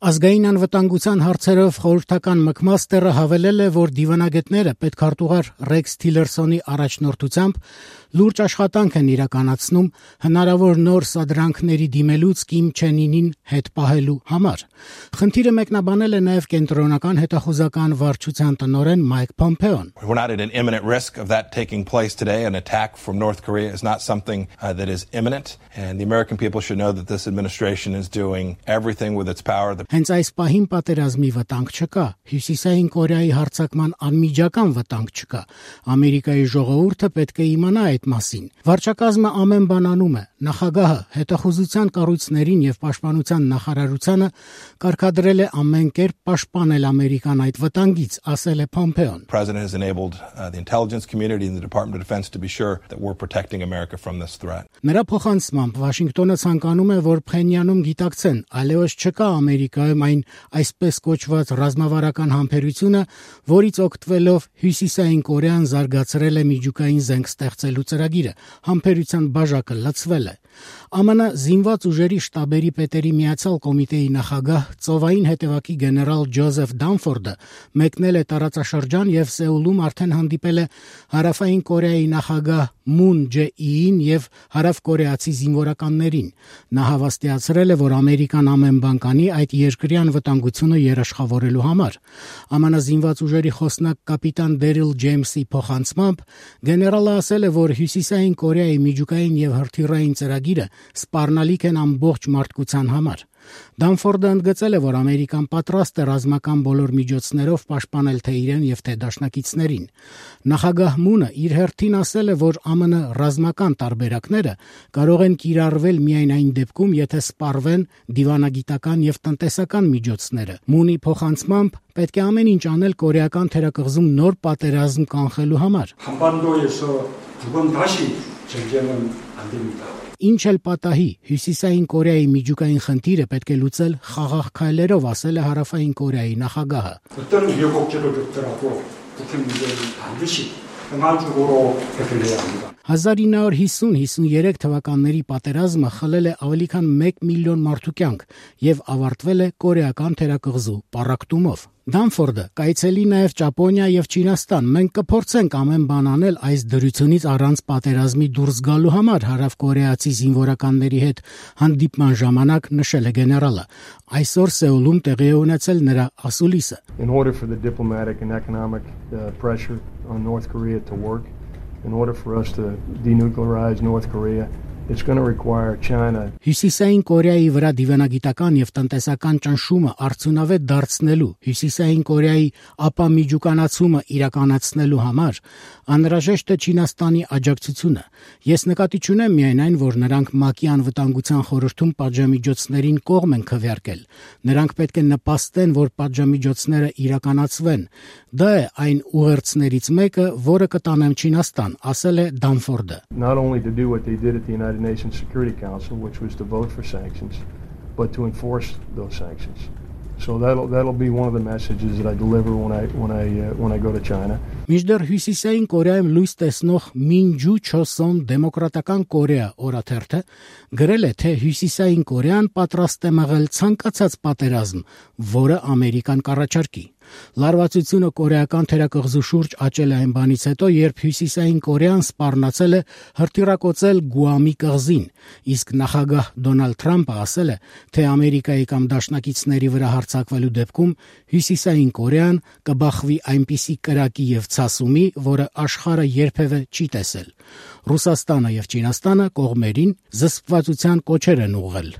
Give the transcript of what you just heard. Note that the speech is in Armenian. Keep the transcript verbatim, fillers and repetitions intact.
Ազգային անվտանգության հարցերով խորհրդական մկմաստերը հավելել է, որ դիվանագետները պետքարտուղար Ռեքս Թիլերսոնի առաջնորդությամբ լուրջ աշխատանք են իրականացնում հնարավոր նոր սադրանքների դիմելուց Կիմ Չեն Ինին հետ պահելու համար։ Խնդիրը մեկնաբանել է նաև կենտրոնական հետախուզական վարչության տնօրեն Մայք Փոմփեոն։ We're not at an imminent risk of that taking place today. An attack from North Korea is not something uh, that is imminent, and the American people should know that this administration is doing everything with its power. The Հենց այս պահին պատերազմի վտանգ չկա, Հյուսիսային Կորեայի հարձակման անմիջական վտանգ չկա։ Ամերիկայի ժողովուրդը պետք է իմանա այդ մասին։ Վարչակազմը ամեն բան անում է։ Նախագահը հետախուզության կառույցներին եւ պաշտպանության նախարարությանը կարգադրել է ամեն կերպ պաշտպանել Ամերիկան այդ վտանգից, ասել է Փոմփեոն։ The president has enabled uh, the intelligence community and the Department of Defense to be sure that we're protecting America from this threat. Նրա փոխանցմամբ Վաշինգտոնը ցանկանում է, որ Փխենյանում գիտակցեն, այլևս չկա Ամերիկայում այն այսպես կոչված ռազմավարական համբերությունը, որից օգտվելով Հյուսիսային Կորեան զարգացրել է միջուկային զենք ստեղծելու ծրագիրը, համբերության բաժակը լցվել է։ ԱՄՆ զինված ուժերի շտաբերի պետերի միացյալ կոմիտեի նախագահ ծովային հետևակի գեներալ Ջոզեֆ Դանֆորդը մեկնել է տարածաշրջան եւ Սեուլում արդեն հանդիպել է Հարավային Կորեայի նախագահ Մուն Ջե-իին եւ հարավկորեացի զինվորականներին։ Նա հավաստիացրել է, որ Ամերիկան ամեն բան կանի այդ երկրի անվտանգությունը երաշխավորելու համար։ ԱՄՆ զինված ուժերի խոսնակ կապիտան Դերիլ Ջեյմսի փոխանցմամբ գեներալը ասել է, որ Հյուսիսային Կորեայի միջուկային եւ հրթիռային ծրագիրը սպառնալիք են ամբողջ մարդկության համար։ Դանֆորդը ընդգծել է, որ Ամերիկան պատրաստ է ռազմական բոլոր միջոցներով պաշտպանել թե իրեն եւ թե դաշնակիցներին։ Նախագահ Մունը իր հերթին ասել է, որ ԱՄՆ ռազմական տարբերակները կարող են կիրառվել միայն այն դեպքում, եթե սպառվեն դիվանագիտական եւ տնտեսական միջոցները։ Մունի փոխանցմամբ պետք է ամեն ինչ անել կորեական թերակղզում նոր պատերազմ կանխելու համար։ 한반도에서 두 번 다시 전쟁은 안 됩니다. Ինչ էլ պատահի, Հյուսիսային Կորեայի միջուկային խնդիրը պետք է լուծել խաղաղ քայլերով, ասել է Հարավային Կորեայի նախագահը։ 어떤 우여곡절을 겪더라도 북핵 문제는 반드시 평화적으로 해결해야 합니다. հազար ինը հարյուր հիսուն հիսուներեք թվականների պատերազմը խլել է ավելի քան մեկ միլիոն մարդու կյանք եւ ավարտվել է կորեական թերակղզու պառակտումով։ Դանֆորդը կայցելի նաև Ճապոնիա եւ Չինաստան։ Մենք կփորձենք ամեն բան անել այս դրությունից առանց պատերազմի դուրս գալու համար, հարավկորեացի զինվորականների հետ հանդիպման ժամանակ նշել է գեներալը։ Այսօր Սեուլում տեղի է ունեցել նրա ասուլիսը։ In order for the diplomatic and economic uh, pressure on North Korea to work, in order for us to denuclearize North Korea, it's going to require China. Հյուսիսային Կորեայի վրա դիվանագիտական եւ տնտեսական ճնշումը արդյունավետ դարձնելու, Հյուսիսային Կորեայի ապամիջուկանացումը իրականացնելու համար անհրաժեշտ է Չինաստանի աջակցությունը։ Ես նկատի չունեմ միայն այն, որ նրանք ՄԱԿ-ի անվտանգության խորհրդում պատժամիջոցներին կողմ են քվեարկել։ Նրանք պետք է նպաստեն, որ պատժամիջոցները իրականացվեն։ Դա է այն ուղերձներից մեկը, որը կտանեմ Չինաստան, ասել է Դանֆորդը։ Not only to do what they did at the United Nations Security Council, which was to vote for sanctions, but to enforce those sanctions. So that'll that'll be one of the messages that I deliver when I when I uh, when I go to China. Միջդեռ Հյուսիսային Կորեայում լույս տեսնող Մինջու Չոսոն Դեմոկրատական Կորեա օրաթերթը գրել է, թե Հյուսիսային Կորեան պատրաստ է մղել ցանկացած պատերազմ, որը Ամերիկան կառաջարկի։ Լարվածությունը կորեական թերակղզու շուրջ աճել է այն բանից հետո, երբ Հյուսիսային Կորեան սպառնացել է հրթիռակոծել Գուամի կղզին, իսկ նախագահ Դոնալդ Թրամփը ասել է, թե Ամերիկայի կամ դաշնակիցների վրա հարձակվելու դեպքում Հյուսիսային Կորեան կբախվի այնպիսի կրակի եւ ցասումի, որը աշխարհը երբևէ չի տեսել։ Ռուսաստանը եւ Չինաստանը կողմերին զսպվածության կոչեր են ուղղել։